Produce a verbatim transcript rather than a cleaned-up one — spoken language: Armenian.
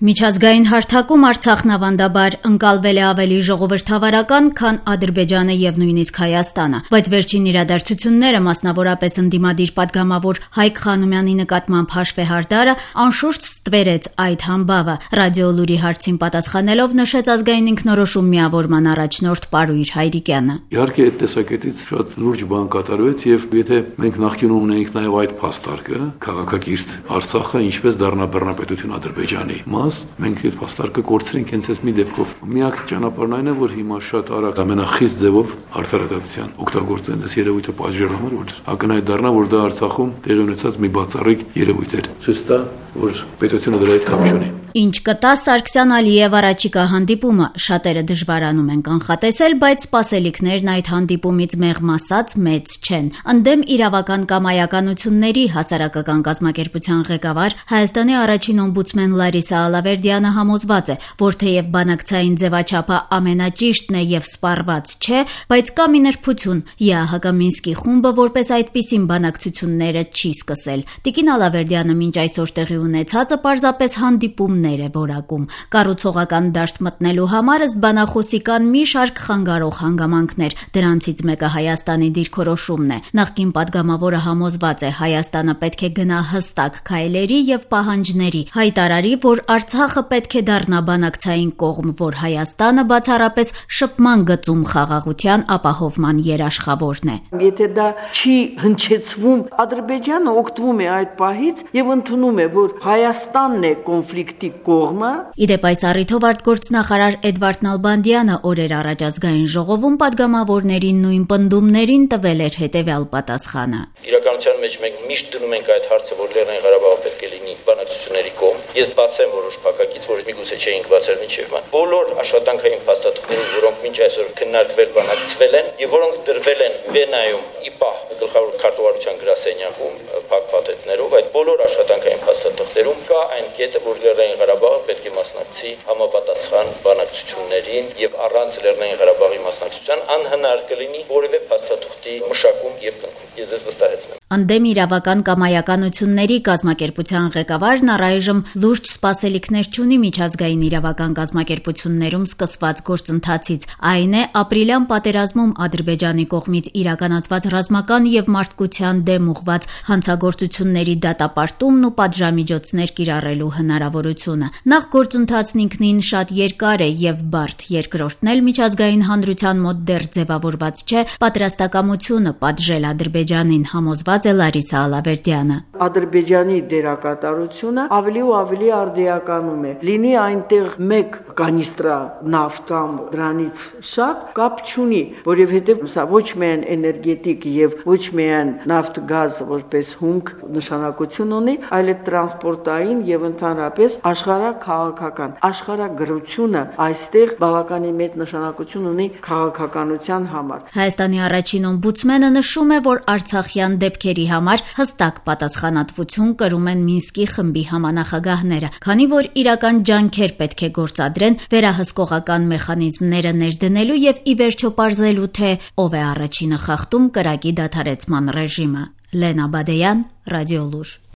Միջազգային հարթակում Արցախն ավանդաբար ընկալվել է ավելի ժողովրդավարական, քան Ադրբեջանը եւ նույնիսկ Հայաստանը, բայց վերջին իրադարձությունները, մասնավորապես ընդդիմադիր պատգամավոր Հայկ Խանոմյանի նկատմամբ հաշվեհարդարը, անշուշտ ստվերեց այդ համբավը։ Ռադիոլուրի հարցին պատասխանելով նշեց ազգային ինքնորոշում միավորման առաջնորդ Պարույր Հայրիկյանը։ Իհարկե այդ տեսակետից շատ լուրջ բան կատարվեց եւ եթե մենք նախկինում ունեինք նաեւ այդ փաստարկը, քաղաքակիրթ Արցախը ինչպես դառնա բռնապետություն Ադրբեջանի մաս, մենք այդ փաստարկը կորցրենք հենց այս մի դեպքով։ Միակ ճանապարհն այն է, որ հիմա շատ արագ ամենախիստ ձևով արդարադատության օգտագործեն այս երևույթը պատժելու համար, որ ակնհայտ դառնա, որ դա Արցախում տեղի ունեցած մի բացառիկ երևույթ էր։ Ցույց տա, որ պետությունը դրա հետ կապ չունի։ Ինչ կտա Սարգսյան-Ալիև առաջիկա հանդիպումը, շատերը դժվարանում են կանխատեսել, բայց սպասելիքներն այդ հանդիպումից մեղմ ասած մեծ չեն։ Ընդդեմ իրավական կամայականությունների հասարակական կազմակերպության ղեկավար Հայաստանի առաջին օմբուդսմեն Լարիսա Ալավերդյանը համոզված է, որ թեև բանակցային ձևաչափը ամենաճիշտն է եւ սպառված չէ, բայց կա մի նրբություն՝ ԵԱՀԿ Մինսկի խումբը որպես այդպիսին բանակցությունները չի սկսել։ Տիկին Ալավերդյանը մինչ այսօր տեղի ունեցածը պարզապես հանդիպում է որակում։ Կառուցողական դաշտ մտնելու համար ըստ բանախոսի կան մի շարք խանգարող հանգամանքներ, դրանցից մեկը Հայաստանի դիրքորոշումն է։ Նախկին պատգամավորը համոզված է, Հայաստանը պետք է գնա հստակ քայլերի եւ պահանջների, հայտարարի, որ Արցախը պետք է դառնա բանակցային կողմ, որ Հայաստանը բացառապես շփման գծում խաղաղության ապահովման երաշխավորն է։ Եթե դա չի հնչեցվում, Ադրբեջանը օգտվում է այդ պահից եւ ընդունում է, որ Հայաստանն է կոնֆլիկտի կողմը։ Իդեպ այս առիթով արտգործնախարար Էդվարդ Նալբանդյանը օրեր առաջ ազգային ժողովում պատգամավորներին նույն պնդումներին տվել էր հետևյալ պատասխանը։ Իրականության մեջ մենք միշտ դնում ենք այդ հարցը, որ Լեռնային Ղարաբաղը պետք է լինի բանակցությունների կողմ։ Ես բացեմ որոշ փակակից, որ միգուցե չէինք բացել մինչև ման։ Բոլոր աշխատանքային փաստաթղթերը, որոնք մինչ այսօր քննարկվել, բանակցվել են եւ որոնք դրվել են Վենայում ԻՊԱՀ գլխավոր քարտուղարության գրասենյակում փակ փաթեթներով, այդ բոլոր աշխատանքային փաստաթղթերում կա այն կետը, որ Լեռնային Ղարաբաղը պետք է մասնակցի համապատասխան բանակցություններին եւ առանց Լեռնային Ղարաբաղի մասնակցության անհնար կլինի որևէ փաստաթղթի մշակում եւ կնքում։ Ես ես վստահեցնեմ։ Ընդդեմ իրավական կամայականությունների կազմակերպության ղեկավարն առայժմ լուրջ սպասելիքներ չունի միջազգային իրավական կազմակերպություններում սկսված գործընթացից։ Այն է ապրիլյան պատերազմում Ադրբեջանի կողմից իրականացված ռազմական եւ մարդկության դեմ ուղղված հանցագործությունների դատապարտումն ու պատժամիջոցներ կիրառելու հնարավորությունը։ Նախ գործընթացն ինքնին շատ երկար է եւ բարդ, երկրորդն էլ միջազգային հանրության մոտ դեռ ձևավորված չէ պատրաստակամությունը պատժել Ադրբեջանին, համոզված է Լարիսա Ալավերդյանը։ Ադրբեջանի դերակատարությունը ավելի ու ավելի արդիականում է։ Լինի այնտեղ մեկ կանիստրա նավթ կամ դրանից շատ կապ չունի, որովհետեւ սա ոչ միայն էներգետիկ եւ ոչ միայն նավթ գազ որպես հումք նշանակություն ունի, այլ տրանսպորտային եւ ընդհանրապես աշխարհաքաղաքական աշխարհագրությունը այստեղ բավականին մեծ նշանակություն ունի քաղաքականության համար։ Հայաստանի առաջին օմբուդսմենը նշում է, որ արցախյան դեպքերի համար հստակ պատասխանատվություն կրում են Մինսկի խմբի համանախագահները, քանի որ իրական ջանքեր պետք է գործադրեն վերահսկողական մեխանիզմները ներդնելու եւ ի վերջո պարզելու, թե ով է առաջինը խախտում կրակի դադարեցման ռեժիմը։ Լենա Բադեյան, Ռադիոլուր։